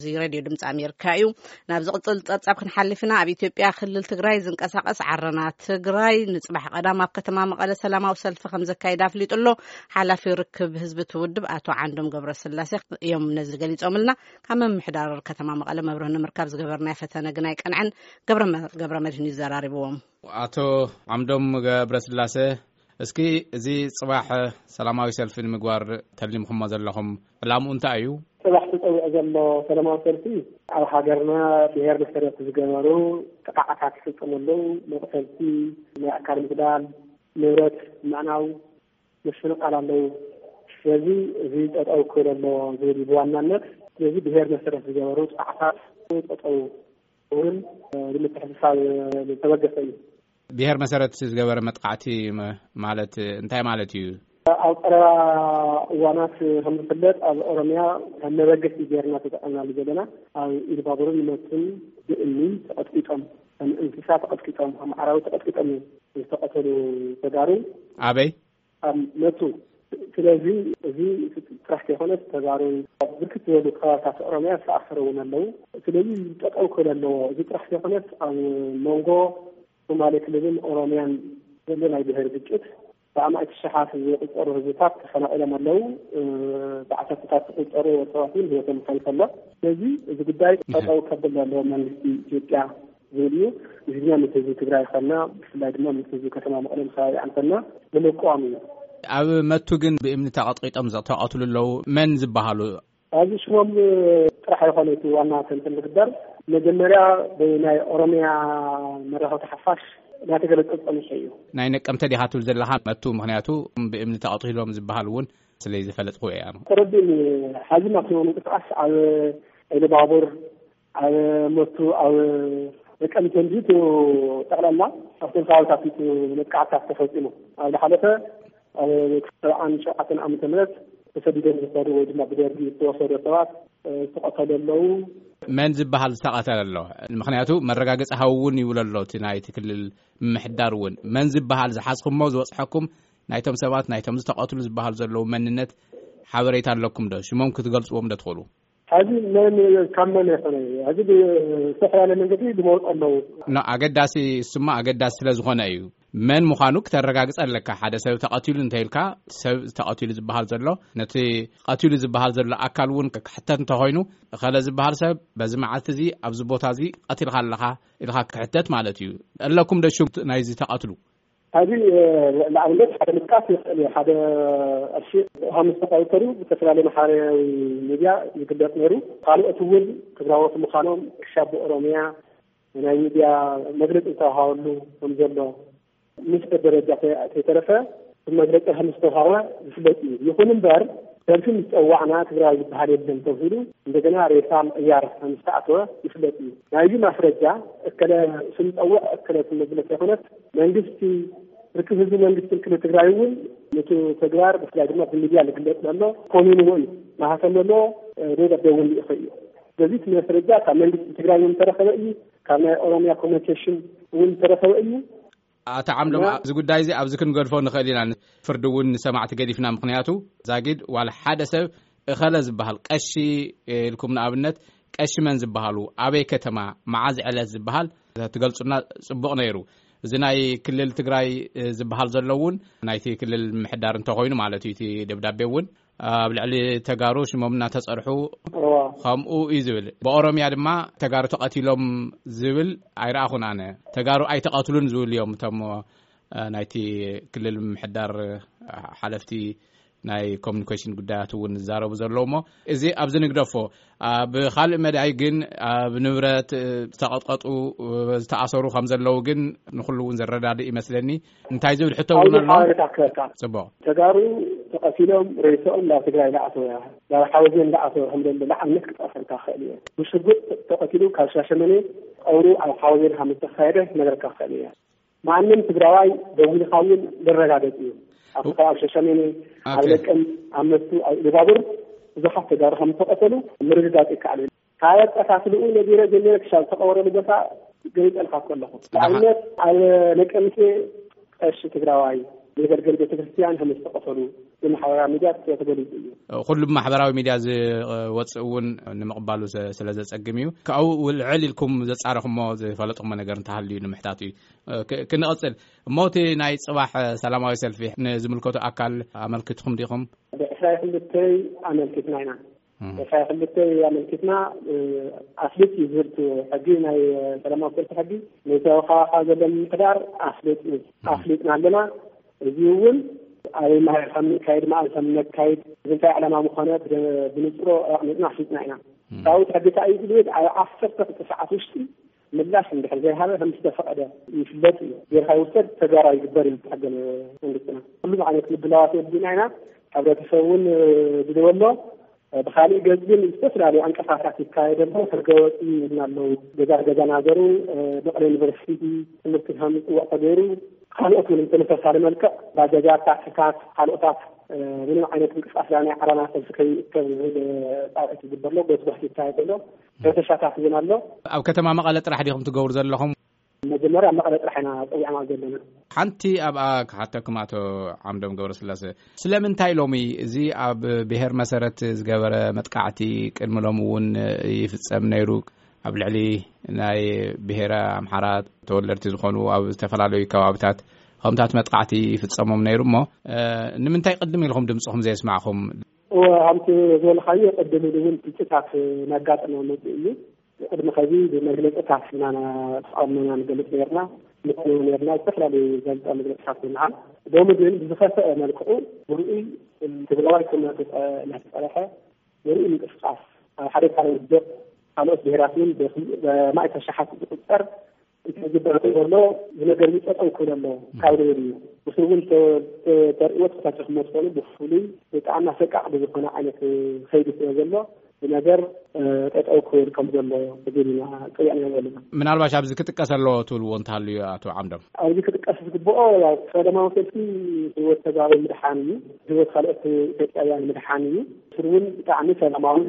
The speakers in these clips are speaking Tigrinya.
እዚ ሬድዮ ድምፂ ኣሜሪካ እዩ። ናብ ዝቕፅል ፀብፃብ ክንሓልፍ ኢና። ኣብ ኢትዮጵያ ክልል ትግራይ ዝንቀሳቐስ ዓረና ትግራይ ንፅባሕ ቀዳም ኣብ ከተማ መቐለ ሰላማዊ ሰልፊ ከም ዘካየደ ኣፍሊጡ ኣሎ። ሓላፊ ርክብ ህዝቢ እቲ ውድብ ኣቶ ዓንዶም ገብረስላሴ እዮም ነዚ ገሊፆምልና። ካብ ምምሕዳር ከተማ መቐለ መብርህ ንምርካብ ዝገበርናዮ ፈተነ ግን ኣይቀንዐን። ገብረ መ- ገብረ መድህን ይዘራርብዎም። ኣቶ ዓምዶም ገብረስላሴ፣ እስኪ እዚ ጽባሕ ሰላማዊ ሰልፊ ንምግባር ተሊምኩሞ ዘለኹም ዕላምኡ እንታይ እዩ? ጽባሕ ተጸዊዑ ዘሎ ሰላማዊ ሰልፊ ኣብ ሃገርና ብሄር መሰረት ዝገበሩ ጥቃዓታት ይፍጸሙ ኣለዉ። መቕተልቲ፣ ናይ ኣካል ምጉዳል፣ ንብረት ምዕናው፣ ምፍንቓል ኣለዉ። ስለዚ እዚ ጠጠው ክብል ኣለዎ ዝብል እዩ ብዋናነት። ስለዚ ብሄር መሰረት ዝገበሩ ጥቃዓታት ጠጠው እውን ብምትሕስሳብ ዝተበገሰ እዩ። ብሄር መሰረት ዝገበረ መጥቃዕቲ መ- ማለት እንታይ ማለት እዩ? ኣብ ቀረባ እዋናት ከም ዝፍለጥ ኣብ ኦሮሚያ ከም መበገሲ ጌርና ተጠቐምናሉ ዘለና። ኣብ ኢሉባቡርን መቱን ብእምኒ ተቐጥቂጦም፣ ከም እንስሳ ተቐጥቂጦም፣ ከም ኣራዊት ተቐጥቂጦም ዝተቐተሉ ተጋሩ ኣበይ? ኣብ መቱ። ስለዚ እዚ ጥራሕ ከይኮነስ ተጋሩ ኣብ ብርክት ዝበሉ ከባብታት ኦሮሚያ ዝተኣሰሩ እውን ኣለዉ። ስለዚ ጠጠው ክብል ኣለዎ። እዚ ጥራሕ ከይኮነስ ኣብ መንጎ ሶማሌ ክልልን ኦሮሚያን ዘሎ ናይ ብሄር ግጭት ብኣማኢት ሽሓት ዝቁጸሩ ህዝብታት ተፈናቒሎም ኣለዉ። ብዓሰርተታት ዝቁጸሩ ሰባት እውን ህይወቶም ሓሊፉ ኣሎ። ስለዚ እዚ ጉዳይ ጠጠው ከብል ኣለዎ መንግስቲ ኢትዮጵያ ዝብል እዩ። እዚ ድማ ምስ ህዝቢ ትግራይ ኮና፣ ብፍላይ ድማ ምስ ህዝቢ ከተማ መቐለን ከባቢኣን ኮና ንምቅዋም እዩ። ኣብ መቱ ግን ብእምኒ ተቐጥቂጦም ዝተቐትሉ ኣለዉ። መን ዝበሃሉ? ኣብዚ ሽሞም ጥራሕ ይኾነ እቲ ዋና ተንትን ዝግበር መጀመርያ ብናይ ኦሮሚያ መራኸብቲ ሓፋሽ እናተገለጸ ጸኒሑ እዩ። ናይ ነቀምተ ዲኻ ትብል ዘለኻ መቱ? ምኽንያቱ ብእምኒ ተቐቲሎም ዝበሃል እውን ስለ ዝፈለጥኩ እያ። ተረዲእኒ። ሓዚ ናብቲ ምንቅስቃስ ኣብ ኢሉባቡር፣ ኣብ መቱ፣ ኣብ ነቀምተ እንጂ እቲ ጠቕላላ ኣብቶም ከባቢታት እዩ መጥቃዕትታት ተፈጺሙ። ኣብ ዝሓለፈ ኣብ ሰብዓን ሸውዓተን ዓመተ ምህረት ተሰዲዶም ዝኸዱ ወይ ድማ ብደርጊ ዝተወሰዱ ሰባት ዝተቐተሉ ኣለዉ። መን ዝበሃል ዝተቐተለ ኣሎ? ምኽንያቱ መረጋገፂ ሃቡ እውን ይብሎ ኣሎ እቲ ናይቲ ክልል ምምሕዳር እውን። መን ዝበሃል ዝሓዝኩሞ ዝበፅሐኩም ናይቶም ሰባት ናይቶም ዝተቐትሉ ዝበሃሉ ዘለዉ መንነት ሓበሬታ ኣለኩም ዶ? ሽሞም ክትገልፅዎም ዶ ትኽእሉ? ሕዚ መን ካብ መን ይኾነ? ሕዚ ብዝተፈላለየ መንገዲ ዝመወፁ ኣለዉ። ኖ፣ ኣገዳሲ እሱማ ኣገዳሲ ስለ ዝኾነ እዩ። መን ምዃኑ ክተረጋግጸ ኣለካ። ሓደ ሰብ ተቐቲሉ እንተኢልካ፣ ሰብ ተቐቲሉ ዝበሃል ዘሎ፣ ነቲ ቀቲሉ ዝበሃል ዘሎ ኣካል እውን ክሕተት እንተኾይኑ፣ እኸለ ዝበሃል ሰብ በዚ መዓልቲ እዚ ኣብዚ ቦታ እዚ ቀቲልካ ኣለኻ ኢልካ ክሕተት ማለት እዩ። ኣለኩም ዶ ሹም ናይዚ ተቐትሉ? ሕዚ ንኣብነት ሓደ ምጥቃስ ይኽእል እዩ። ሓደ ቅርሺ ከም ዝተቐተሉ ብዝተፈላለየ ማሕበራዊ ሚድያ ይግለጽ ነይሩ። ካልኦት እውን ትግራዎት ምዃኖም ክሻብ ብኦሮሚያ ናይ ሚድያ መግለፂ ዝተዋሃበሉ ከም ዘሎ፣ ምስ ደረጃ ከይተረፈ መግለፂ ከም ዝተዋሃበ ዝፍለጥ እዩ። ይኹን እምበር ሰልፊ ምስ ፀዋዕና ትግራዊ ዝበሃል የለን ተብሂሉ እንደገና ሬሳ ምቕያር ከም ዝተኣተወ ይፍለጥ እዩ። ናይዚ ማስረጃ እከለ ስም ፀውዕ እከለ ስም መግለፂ ኣይኮነስ መንግስቲ ርክብ ህዝቢ መንግስትን ክልል ትግራይ እውን ነቲ ተግባር ብፍላይ ድማ ብሚድያ ዝግለፅ ዘሎ ኮኒንዎ እዩ። ማህተም ዘለዎ ደብዳቤ እውን ልኢኹ እዩ። ስለዚ እቲ ማስረጃ ካብ መንግስቲ ትግራይ እውን ዝተረኸበ እዩ። ካብ ናይ ኦሮሚያ ኮሚኒኬሽን እውን ዝተረኸበ እዩ። ኣቶ ዓምዶም፣ እዚ ጉዳይ እዚ ኣብዚ ክንገድፎ ንኽእል ኢና። ፍርዲ እውን ንሰማዕቲ ገዲፍና። ምኽንያቱ ዛጊድ ዋላ ሓደ ሰብ እኸለ ዝበሃል ቀሺ ኢልኩም ንኣብነት ቀሺ መን ዝበሃሉ ኣበይ ከተማ መዓዝ ዕለት ዝበሃል ትገልጹና ጽቡቕ ነይሩ። እዚ ናይ ክልል ትግራይ ዝበሃል ዘሎ እውን ናይቲ ክልል ምሕዳር እንተኾይኑ ማለት እዩ። እቲ ደብዳቤ እውን ኣብ ልዕሊ ተጋሩ ሽሞም እናተጸርሑ ከምኡ እዩ ዝብል። ብኦሮምያ ድማ ተጋሩ ተቐቲሎም ዝብል ኣይረኣኹን ኣነ። ተጋሩ ኣይተቐትሉን ዝብል እዮም እቶም ናይቲ ክልል ምሕዳር ሓለፍቲ ናይ ኮሚኒኬሽን ጉዳያት እውን ዝዛረቡ ዘለዉ እሞ እዚ ኣብዚ ንግደፎ። ኣብ ካልእ መዳይ ግን ኣብ ንብረት ዝተቐጥቀጡ ዝተኣሰሩ ከም ዘለዉ ግን ንኩሉ እውን ዘረዳድእ ይመስለኒ። እንታይ ዝብል ሕቶ እውን ኣሎ? ሓበሬታ ክህበካ። ጽቡቕ። ተጋሩ ተቐቲሎም ሬስኦም ናብ ትግራይ ላኣተወ ናብ ሓወዜን ላኣተወ ከም ዘሎ ንኣብነት ክጠቕሰልካ ክእል እየ። ብሽጉጥ ተቐቲሉ ካብ ሻሸመኔ ቀብሩ ኣብ ሓወዜን ከም ዝተካየደ ክነግረካ ክእል እየ። ማንም ትግራዋይ ደዊልካ እውን ዘረጋገጽ እዩ። ኣብቲ ከባቢ ሸሸሜኔ፣ ኣብ ለቀም፣ ኣብ መቱ፣ ኣብ ኢሉባቡር ብዙሓት ተጋሩ ከም ዝተቐተሉ ምርግጋጽ ይከኣል እዩ። ካብ ኣቀታትልኡ ነቢረ ጀሚረ ክሻብ ዝተቐበረሉ ቦታ ገሊጸልካ ከለኹ ንኣብነት ኣብ ነቀምቴ ቀሺ ትግራዋይ የገልገል ቤተክርስትያን ከም ዝተቐተሉ ብማሕበራዊ ሚድያ ተገሊጹ እዩ። ኩሉ ብማሕበራዊ ሚድያ ዝወፅእ እውን ንምቕባሉ ስለ ዘፀግም እዩ። ካብኡ ልዕል ኢልኩም ዘፃረኹሞ ዝፈለጥኩሞ ነገር እንተሃልዩ ንምሕታት እዩ። ክንቕፅል እሞ፣ እቲ ናይ ፅባሕ ሰላማዊ ሰልፊ ንዝምልከቱ ኣካል ኣመልኪትኩም ዲኹም? ዕስራ ክልተ ኣመልኪትና ኢና። ዕስራ ክልተ ኣመልኪትና። ኣፍልጥ እዩ ዝብል ሕጊ፣ ናይ ሰላማዊ ሰልፊ ሕጊ፣ ነዚ ከባኻ ዘሎ ምምሕዳር ኣፍልጥ እዩ። ኣፍሊጥና ኣለና። እዚ እውን ኣበይ ማህር ከም ንካይድ፣ መዓዝ ከም ነካይድ፣ እንታይ ዕላማ ምኾነ ብንፅሮ ኣቕሚጥና ኣፍሊጥና ኢና። ካብኡ ሕጊ እንታይ እዩ ዝብል? ኣብ ዓሰርተ ክልተ ሰዓት ውሽጢ ምላሽ እንድሕር ዘይሃበ ከም ዝተፈቐደ ይፍለጥ እዩ። ጌርካ ይውሰድ፣ ተግባራዊ ይግበር እዩ ሕገ መንግስትና። ኩሉ ዓይነት ምድላዋት የድልና ኢና። ሕብረተሰብ እውን ዝደወሎ። ብኻሊእ ገፅ ግን ዝተፈላለዩ ዕንቅፋታት ይካየደሉ። ሕገ ወፂ ይብልና ኣለዉ። ገዛ ገዛ ናገሩ፣ መቐለ ዩኒቨርሲቲ ትምህርቲ ከም ዝፅወዕ ተገይሩ፣ ካልኦት እውን ተመሳሳሊ መልክዕ ባጃጃት፣ ታክሲታት፣ ካልኦታት ምንም ዓይነት ምንቅስቃስ ናይ ዓላማ ሰልፊ ከይእከብ ዝብል ፃውዒት ይግበር ኣሎ። ጎስጓስ ይካየድ ኣሎ። ተሻታቲ እውን ኣሎ። ኣብ ከተማ መቐለ ጥራሕ ዲኹም ትገብሩ ዘለኹም? መጀመርያ መቐለ ጥራሕ ኢና ፀዊዕና ዘለና። ሓንቲ ኣብኣ ክሓተኩም፣ ኣቶ ዓምዶም ገብረስላሴ፣ ስለምንታይ ሎሚ እዚ ኣብ ብሄር መሰረት ዝገበረ መጥቃዕቲ ቅድሚ ሎም እውን ይፍጸም ነይሩ? ኣብ ልዕሊ ናይ ብሄረ ኣምሓራ ተወለድቲ ዝኾኑ ኣብ ዝተፈላለዩ ከባብታት ከምታት መጥቃዕቲ ይፍጸሞም ነይሩ እሞ፣ ንምንታይ ቅድም ኢልኩም ድምፅኹም ዘየስማዕኹም? እወ፣ ከምቲ ዝበልካዮ ቅድም ኢሉ እውን ግጭታት እናጋጠመ መፅኡ እዩ። ቅድሚ ከዚ ብመግለፅታት ኢና ተቃውሞና ንገልፅ ነርና፣ ንኮነ ነርና፣ ዝተፈላለዩ ጋዜጣ መግለፅታት ብምሃብ። ሎሚ ግን ብዝኸፈአ መልክዑ ብርኡይ ትግራዋይ ክመ እናተፀረሐ ብርኡይ ምንቅስቃስ ኣብ ሓደ ካልእ ውድብ ካልኦት ብሄራት እውን ብማእት ኣሽሓት ዝቁፀር እንተዝግበር ዘሎ ዝነገር እዩ። ጠጠው ክብል ኣሎ ካብ ዝብል እዩ። ንሱ እውን ተርእዎ ተፈታትኹሞ ትኾኑ ብፍሉይ ብጣዕሚ ኣሰቃቂ ብዝኾነ ዓይነት ከይዲ ስለ ዘሎ ብነገር ጠጠው ክብል ከም ዘሎ ዝብል ኢና ፅውዕና ዘለና። ምናልባሽ ኣብዚ ክጥቀስ ኣለዎ ትብልዎ እንተሃልዩ፣ ኣቶ ዓምዶም? ኣብዚ ክጥቀስ ዝግብኦ ያው ሰላማዊ ሰልፊ ህይወት ተጋሩ ምድሓን እዩ። ህይወት ካልኦት ኢትዮጵያውያን ምድሓን እዩ። ስር እውን ብጣዕሚ ሰላማዊ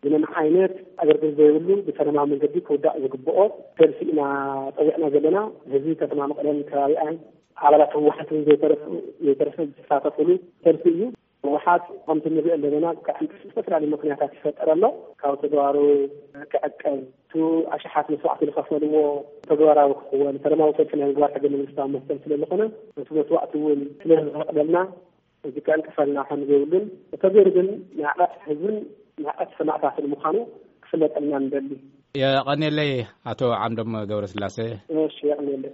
ምንም ዓይነት ኣገልግሎት ዘይብሉ ብሰላማዊ መንገዲ ክውዳእ ዝግብኦ ሰልፊ ኢና ፀዊዕና ዘለና። ህዝቢ ከተማ መቐለን ከባቢኣን ኣባላት ህወሓትን ዘይተረፉ ዘይተረፈ ዝሳተፉሉ ሰልፊ እዩ። ህወሓት ከምቲ ንሪኦ ዘለና ክዕንቅፍ ዝተፈላለዩ ምክንያታት ይፈጠር ኣሎ። ካብ ተግባሩ ክዕቀብ፣ እቲ ኣሽሓት መስዋዕቲ ዝኸፈልዎ ተግባራዊ ክኽወን፣ ሰላማዊ ሰልፊ ናይ ምግባር ሕገ መንግስታዊ መሰል ስለ ዝኾነ፣ እቲ መስዋዕቲ እውን ስለ ዝፈቕደልና እዚ ከዕንቅፈልና ከም ዘይብሉን፣ ተገይሩ ግን ንዕቀት ህዝብን ንዕቀት ሰማእታትን ምዃኑ ክፍለጠልና ንደሊ። የቐኔለይ ኣቶ ዓምዶም ገብረስላሴ። እሺ፣ የቐኔለይ።